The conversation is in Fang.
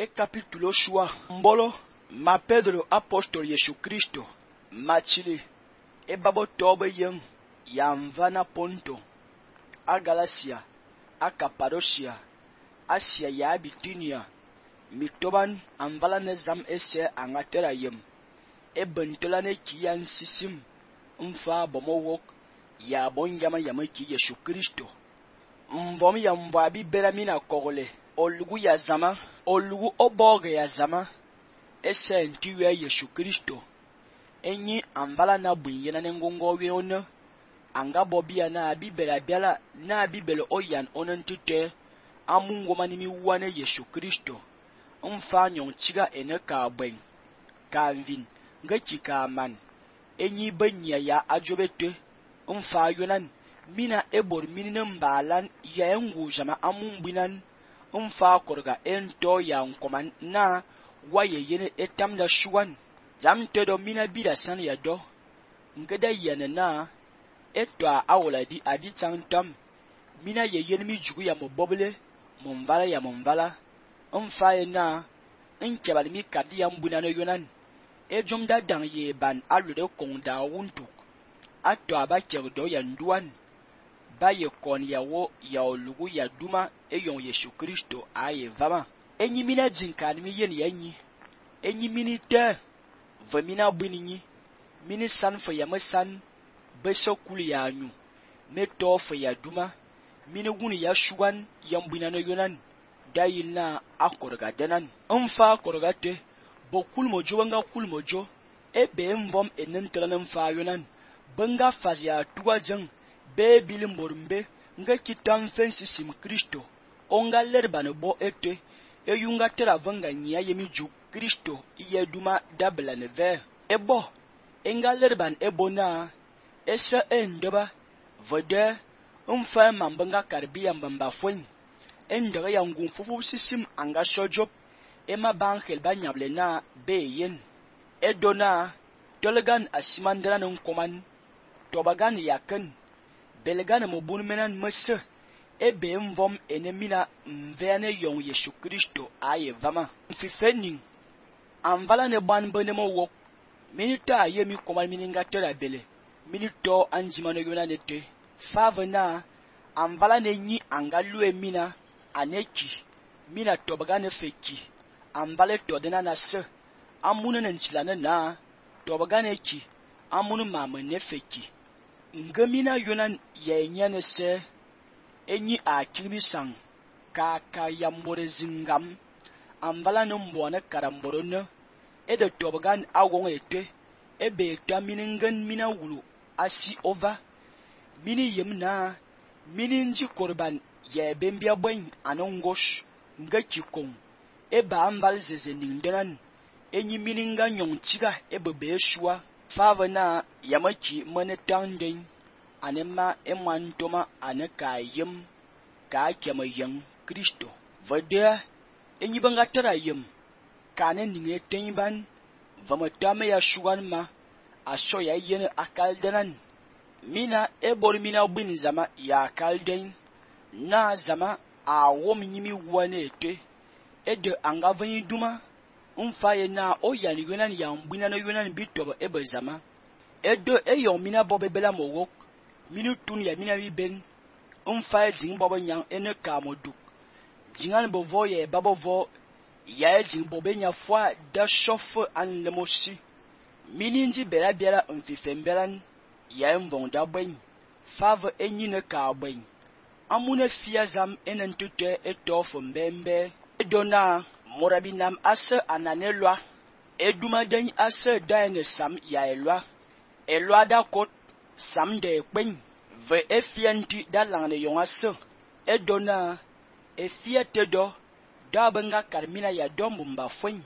e capítulo shua mbolo ma Pedro apóstolo Yesu Cristo machili e babo tobe yen ya mvana Ponto a Galacia a Cappadocia Asia ya Bitinia mitoban anvala ne zam ese angatera yem e bentola ne kiyan sisim mfa bomowok ya bon yama ki Yesu Kristo mbom ya mbwa bi beramina kogole olugu ya zama olugu oboge ya zama ese ntiwe Yesu Kristo enyi anvala na bunyena ne ngongo weona anga bobia na bibela biala na bibelo oyan onentite amungo manimi wane Yesu Kristo mfa nyon chiga ene ka bwen kanvin ngaki ka man enyi benya ya ajobete mfa yonan mina ebor minine mbalan ya engu jama amumbinan mfa korga ento ya nkoman na waye yene etamda shuwan zamtedo mina bida san ya do ngeda yene na etwa awoladi adi tantam mina ye yene mi jugu ya mobobele mumvala ya mumvala mfa na nkebal mi kadi ya mbuna no yonan ejumda dang ye ban alude konda wuntuk atwa ba kerdo ya nduan ba ye kon ya wo ya olugu ya duma eyon Yesu Kristo aye vama enyi mina jinkan mi yen yanyi enyi mini te vamina buninyi mini san fa ya masan beso kuli ya anyu meto fa ya duma mini guni ya shugan ya mbuna no yonan dayin na akorga denan mfa korga te bo kulmojo wanga kulmojo ebe mvom enentela mfa yonan banga fazia tuwa jeng be bilim borumbe nga kitam fensisim Kristo onga lerbane bo ete eyunga tera vanga nya yemi ju Kristo iye duma dabla ne ve ebo enga lerban ebona esa endeba vode mfa mambanga karbiya mbamba fwen endega ya ngunfufu sisim anga shojop ema bankhel banyable na beyen edona tolgan asimandra non koman tobagan yaken belgan mobun menan mese ebe mvom enemina mvene yon Yesu Kristo aye vama mfifening anvala ne ban benemo wok minita yemi koman mininga tera bele minito anjimano yona nete favena anvala ne nyi angalu emina aneki mina tobagan feki anvale todena na se amuna nchilana na tobagan eki amunu mama ne feki ngamina yonan yenyane se enyi akilmi sang ka yambore zingam anvala no mbone karamboro ne ede tobagan awon ete ebe taminengan mina wulu asi ova mini yemna mini nji korban ye bembia bwen anongosh ngaki kong eba anval zeze nindenan enyi mininga nyongchiga ebe beshua favana yamaki monetanden anema emantoma anaka yem ka kema yang Kristo vade enyi banga tara yem kane ninge tenban vamatame ya shugan ma asho ya yene akaldenan mina ebor mina bin zama ya akalden na zama awom nyimi wanete ede angavani duma mfaye na oyani yonan ya mbina no yonan bitoba ebe zama edo eyon mina bobebela mowok minu tun ya mina biben mfaye jing bobo nyang ene kamoduk jingan bovo ye babovo ya jing bobenya fwa da shofe an lemoshi mininji bela biala mfifembelan ya mvonda bwen fave enyi ne ka bwen amune fia zam enentute etofo mbembe edona morabinam ase ananelwa edumaden ase daene sam ya elwa da kot sam de kwen ve efianti da langne yongase edona efia tedo da benga karmina ya dombumba fwen